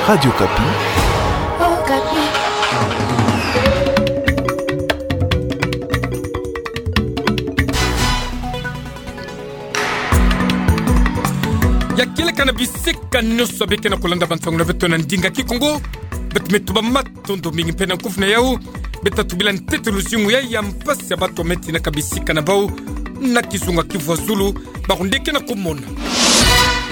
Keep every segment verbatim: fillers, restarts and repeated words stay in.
Radio Okapi. Okapi. Ya kieleka na bisika nyonso beke na kolanda bansango na beto na ndinga Kikongo. Beto me tuba matondo mingi mpe na nkufi na yau. Beto tubila ntete luzingu ya, ya mpasi ya bato me tina ka bisika na bau na kizunga Kivu ya Zulu, bawu nde ke na kumona.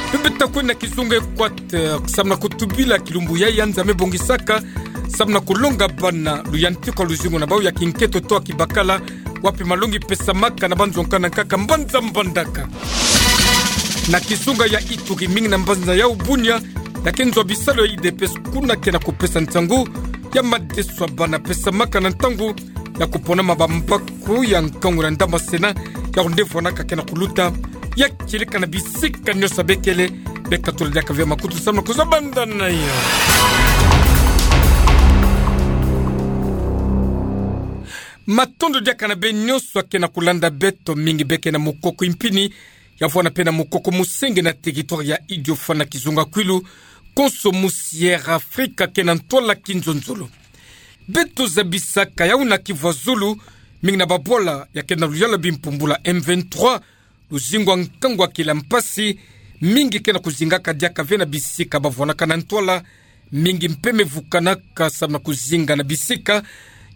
Mpe beto kwe na kizunga Equateur, samu na kutubila kilumbu ya, ya nza me bongisaka, samu na kulonga bana luyantika luzingu na bau ya kinkento to kibakala, wapi malongi pesamaka na banzo nkaka na nkaka mbanza Mbandaka. Na kizunga ya Ituri, mingi na mbanza yau Bunia, ya ke nzo ya bisalu ya U D P S kuna ke na kupesa nsangu ya madeso ya bana pesamaka na ntangu ya kuponama bambaku ya nkangu na ndambu ya Sénat, yawu nde vwanaka ke na kuluta. Ya kieleka na bisika nyonso bekele, beka tula diaka ve makutu samu na kuzabanda na yo. Matondo diaka na beno nyonso ke na kulanda beto, mingi beke na mukoko impini, ya vwanda mpe na mukoko musenge na territoire ya Idiofa na kizunga Kwilu, konso musi Air Afrika ke na ntwala kinzonzolo. Beto zabisaka yawu na Kivu ya Zulu, mingi na babwala ya ke na luyalu ya bimpumbula M vingt-trois, luzingu ya nkangu ya kila mpasi, mingi ke na kuzingaka diaka ve na bisika bavwanaka na ntwala, mingi mpe me vukanaka samu na kuzinga na bisika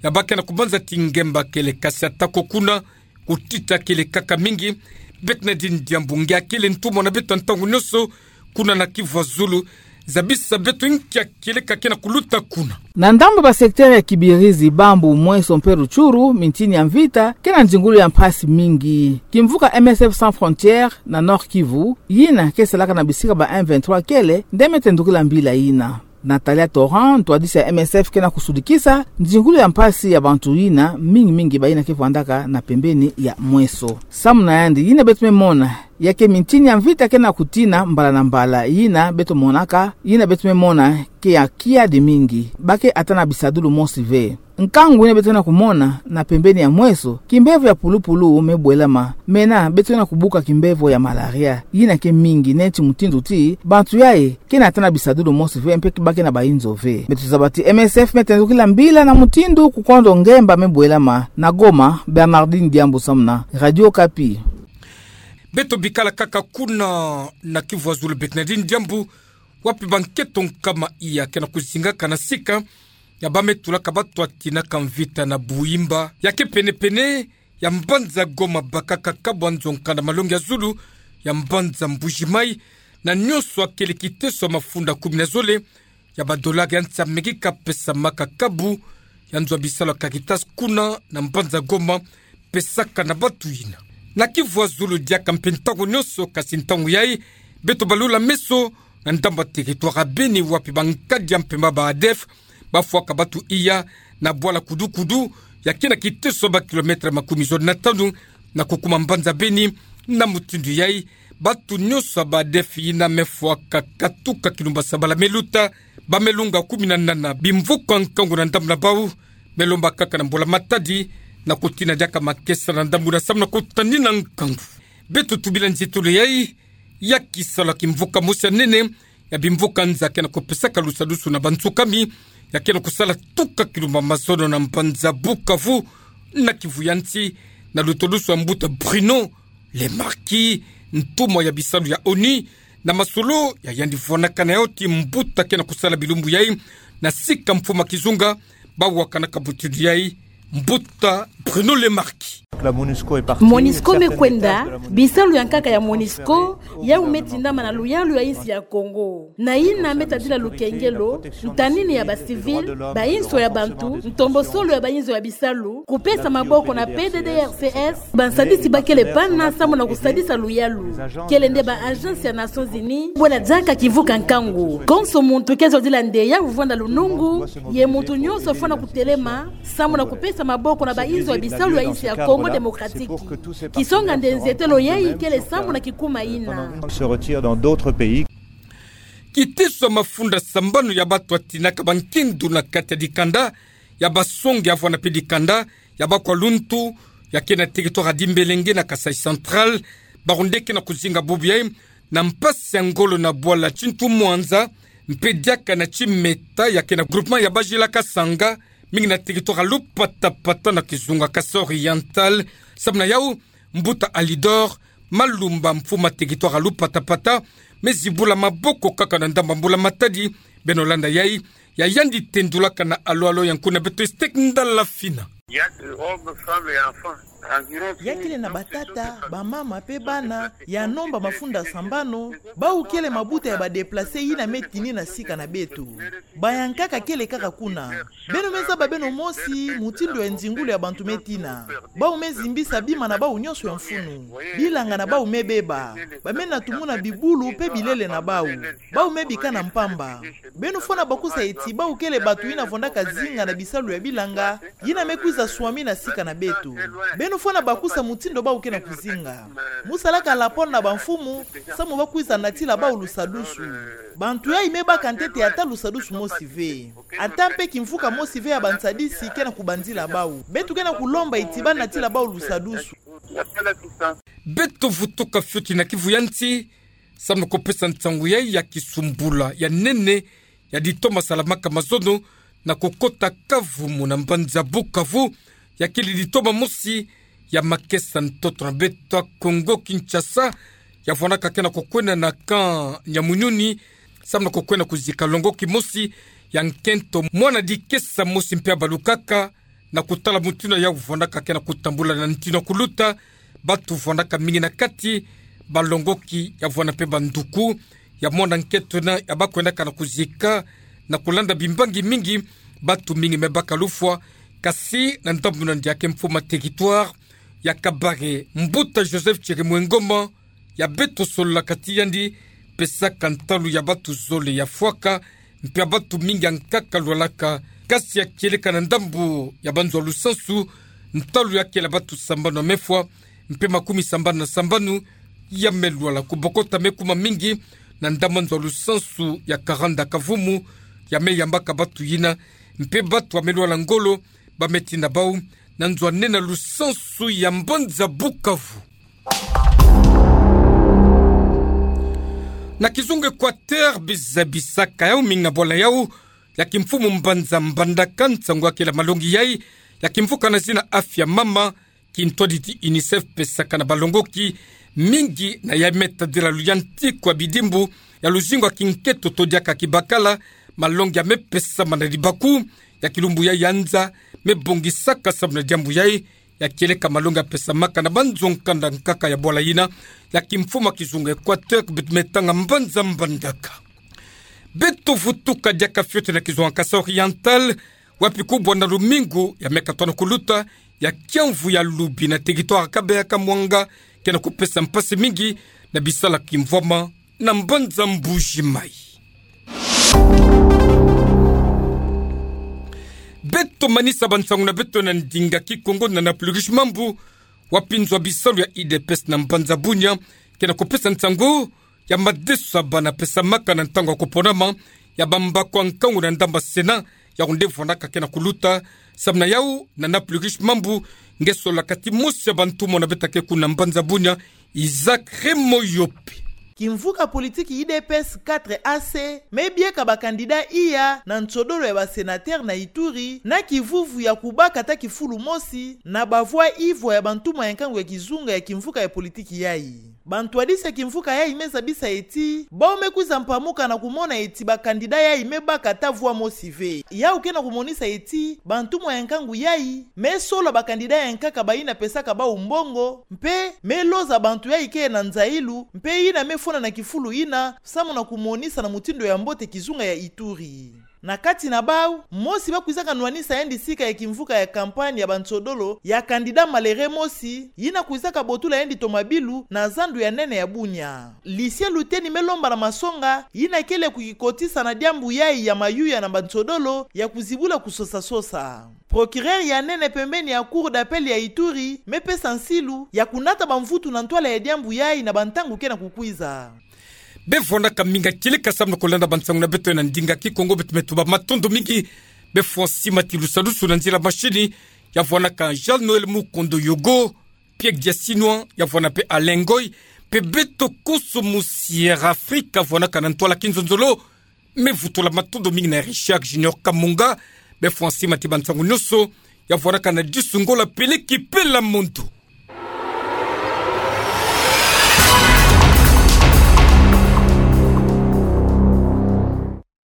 ya ba ke na kubanza ti ngemba kele, kasi atako kuna, kutita kele kaka mingi. Bernardine Diambu, nge kele ntumwa na beto ya ntangu nyonso kuna na Kivu ya Zulu, zabisa beto nki ya kieleka ke na kuluta kuna. Na ndambu ya ba secteur ya Kibirizi, Bambu, Mweso mpe Rutshuru, mintini ya mvita ke na nzingulu ya mpasi mingi. Kimvuka M S F Sans Frontières na Nord-Kivu, yina ke salaka na bisika ba M vingt-trois kele, nde me tendukila mbila yina. Na tali ya Torrent, ntwadisi ya M S F ke na kusudikisa nzingulu ya mpasi ya bantu yina, mingi mingi bayina ke vwandaka na pembeni ya Mweso. Samu na yandi, yina beto me mona ya ke mintini ya mvita ke na kutina mbala na mbala, yina beto monaka, yina beto me mona ke ya kiadi mingi, ba ke ata na bisadulu mosi ve. Nkangu yina beto ke na kumona na pembeni ya Mweso, kimbevo ya pulupulu me bwelama, mena beto ke na kubuka kimbevo ya malaria, yina ke mingi, neti mutindu ti bantu yayi ke na ata na bisadulu mosi ve, mpe ke ba ke na bayinzo ve. Beto zaba ti M S F me tendukila mbila na mutindu kukondo ngemba me bwelama. Na Goma, Bernardine Diambu samu na Radio Okapi. Beto bikala kaka kuna na Kivu ya Zulu, Bernardine Diambu, wapi bankento nkama iya ke na kuzingaka na sika ya ba me tulaka bato ya tinaka mvita na Buimba, ya ke penepene ya mbanza Goma, bakaka kabu ya nzo nkanda malongi ya zulu ya mbanza Mbuji-Mayi, na nyonso ya kele kiteso ya mafunda kumi na zole ya ba dollars ya nsi ya Amerika pesamaka kabu ya nzo ya bisalu ya Caritas kuna na mbanza Goma, pesaka na bato yina. Na Kivu ya Zulu diaka mpe ntangu nyonso, kasi ntangu yayi beto balula meso na ndambu ya territoire ya Beni, wapi bankadi ya mpemba ba ADF bafwaka bato iya na bwala Kudu-Kudu, ya ke na kiteso ya ba kilomètre makumi zole na tanu na kukuma mbanza Beni. Na mutindu yayi, bato nyonso ya ba ADF yina me fwaka katuka kilumbu ya sabala me luta, ba me lunga kumi na nana bimvuka nkangu na ndambu na bau, me lomba kaka na mbula-matadi na kutina diaka makesa na ndambu na samu na kutanina nkangu. Beto tubila nzitulu yayi ya kisalu ya kimvuka mosi ya nene ya bimvuka nza ke na kupesaka lusadusu na bansukami, ya ke na kusala tuka kilumbu ya mazono na mbanza Bukavu, na Kivu ya nsi, na lutodusu ya mbuta Bruno Le Marquis, ntumwa ya bisalu ya ONU, na masolo ya yandi vwanaka na yau ti mbuta ke na kusala bilumbu yayi na sika mfumu ya kizunga, ba wakanaka mutindu yayi, mbuta Bruno Le Marquis. La MONUSCO est partie, MONUSCO me kwenda, bisalu ya nkaka ya MONUSCO yau me tindama na luyalu ya insi ya Kongo. Na yina me tadila lukengelo, ntanini ya ba civils, bainso ya bantu, ntombosolo ya bainzo ya bisalu, kupesa maboko na P D D R C S, bansadisi ba kele pana samu na kusadisa luyalu. Kele nde ba agences ya Nations Unies, bwela diaka kimvuka nkangu. Konso muntu ke zodila nde ya vwanda lunungu, ye muntu nyonso fwana kutelema samu na kupesa maboko na bainzo ya bisalu ya insi ya Congo Démocratique. Kisonga nde nzietelo yayi kele samu na kikuma yina. Se retire dans d'autres pays. Kiteso ya mafunda sambanu ya bato ya tinaka bankindu na kati ya dikanda ya Basonge, ya vwanda mpe dikanda ya Bakwa-Luntu, ya ke na territoire ya Dimbelenge na Kasaï Central, bau nde ke na kuzinga bubu yayi na mpasi ya ngolo na bwala Tintu Mwanza, mpe diaka na timeta ya ke na groupement ya Bajila Kasanga, mingi na territoire ya Lupatapata na kizunga Kasaï Oriental, samu na yau, mbuta Alidor Malumba, mfumu a territoire ya Lupatapata, me zibula maboko kaka na ndambu ya mbula matadi. Beno landa yai, ya yandi tendulaka na alo alo ya nkuna beto Estek Ndala Fina. Il y a des hommes, femmes et enfants. Ya kele na batata, bamama mpe bana, ya nomba mafunda sambanu, bawu kele mabuta ya ba déplacés yina me tini na sika na beto. Bayankaka kele kaka kuna. Beno me zaba beno mosi mutindu ya nzingulu ya bantu me tina. Bawu me zimbisa bima na bawu nyonso ya mfunu. Bilanga na bawu me beba. Ba me na tumuna bibulu mpe bilele na bawu. Bawu me bikana mpamba. Beno fwana bakusa eti bawu kele bantu yina vandaka zinga na bisalu ya bilanga, yina me kwiza swami na sika na beto. Beno fwana bakusa mutindu bawu ke na kuzinga. Mu salaka rapport na bamfumu, samu ba kwiza natila bawu lusadusu. Bantu yayi me baka ntete ata lusadusu mosi ve. Ata mpe kimvuka mosi ve ya bansadisi ke na kubanzila bawu. Beto ke na kulomba eti ba natila bawu lusadusu. Beto vutuka fioti na kivu ya nsi, samu na kupesa nsangu yayi ya kisumbula ya nene, ya ditoma salamaka mazono na kukota kavumu na mbanza Bukavu, ya kele ditoma mosi ya makesa ntoto na beto ya Kongo Kinshasa, ya vandaka ke na kukwenda na camp Nyamunyuni, samu na kukwenda kuzika longoki mosi ya nkento, mwana dikesa mosi mpe ya balukaka, na kutala mutindu yau vandaka ke na kutambula na ntinu ya kuluta. Bantu vandaka mingi na kati, balongoki, ya vwanda mpe banduku ya mwana nkento yina ya ba kwendaka na kuzika. Na kulanda bimbangi mingi, bantu mingi me baka lufwa. Kasi na ndambu na ndia ke mfumu a territoire ya Kabare, mbuta Joseph Chirimwami Ngoma, ya beto solola kati yandi, pesaka ntalu ya bantu zole ya fwaka, mpe ya bantu mingi ya nkaka lwalaka. Kasi ya kieleka na ndambu ya banzo ya lusansu, ntalu ya kele bantu sambanu ya me fwa, mpe makumi sambanu na sambanu ya me lwala. Kubokota me kuma mingi na ndambu ya nzo ya lusansu ya Karanda Kavumu, ya me yambaka bantu yina, mpe bantu ya me lwala ngolo, ba me tina bawu na nzo ya nene ya lusansu ya mbanza Bukavu. Na kizunga Equateur, bizabisaka yau mingi na bwala yau ya kimfumu mbanza Mbandaka nsangu ya kele malongi yayi ya kimvuka na zina Afya Mama, kintwaditi UNICEF pesaka na balongoki mingi na ya me tadila luyantiku ya bidimbu ya luzingu ya kinkento to diaka kibakala. Malongi ya me pesama na libaku ya kilumbu yayi ya nza me bongisaka samu na diambu yayi, ya kieleka malongi ya pesamaka na banzo nkanda nkaka ya bwala yina ya kimfumu ya kizunga Equateur, beto me tanga mbanza Mbandaka. Beto vutuka diaka fioti na kizunga Kasaï Oriental, wapi kubwa na lumingu ya me katono kuluta ya kiamvu ya lubi na territoire ya Kabeya Kamwanga ke na kupesa mpasi mingi na bisalu ya kimvwama na mbanza Mbuji-Mayi. Beto manisa bansangu na beto na ndinga Kikongo na Nana Plurish Mambu, wapi nzo ya bisalu ya UDPS na mbanza Bunia ke na kupesa nsangu ya madeso ya bana pesamaka na ntangu ya kuponama ya bambaku ya nkangu na ndambu ya Sénat, yau nde vwandaka ke na kuluta. Samu na yau, Nana Plurish Mambu nge solola kati mosi ya bantumwa na beto ya ke kuna mbanza Bunia, Isaac Remoyope. Kimvuka politiki UDPS quatre A C me bieka ba candidat iya na nsodolo ya ba sénateur na Ituri, na kivuvu ya kubaka ata kifulu mosi na ba voix ivwa ya bantumwa ya nkangu ya kizunga ya kimvuka ya politiki yayi. Bantwadisi ya kimvuka yayi me zabisa eti, bawu me kwiza mpamuka na kumona eti ba candidat yayi me baka ata voix mosi ve. Yau ke na kumonisa eti, bantumwa ya nkangu yayi me sola ba candidat ya nkaka bayina pesaka bawu mbongo, mpe me loza bantu yayi ke na nzayilu, mpe yina me fwana na kifulu yina, samu na kumonisa na mutindu ya mbote kizunga ya Ituri. Na kati na bawu, mosi ba kwizaka nwanisa yandi sika ya kimvuka ya campagne ya bansodolo ya candidat malere mosi, yina kwizaka botula yandi tomabilu na zandu ya nene ya Bunia. Lucien Luteni me lomba na masonga yina kele kukikotisa na diambu yayi ya mayuya na bansodolo ya kuzibula kusosa-sosa. Procureur ya nene pembeni ya Cour d'appel ya Ituri me pesa nsilu ya kunata bamvutu na ntwala ya diambu yayi na bantangu ke na kukwiza. Beno vwandaka mingi kieleka samu na kulanda bansangu na beto na ndinga Kikongo, beto me tuba matondo mingi. Beno fwa sima ti lusadusu na nzila machine, ya vwandaka Jean Noël Mukondo Yogo, Pierre Diasinwa, ya vwanda mpe Alain Ngoy, mpe beto konso mu Sierra Africa vwandaka na ntwala kinzonzolo, me vutu la matodo mi na Richard Junior Kamunga, be fwa si mati ba nsangu nyonso, ya vwaraka na disu ngo la peleki pela mondo.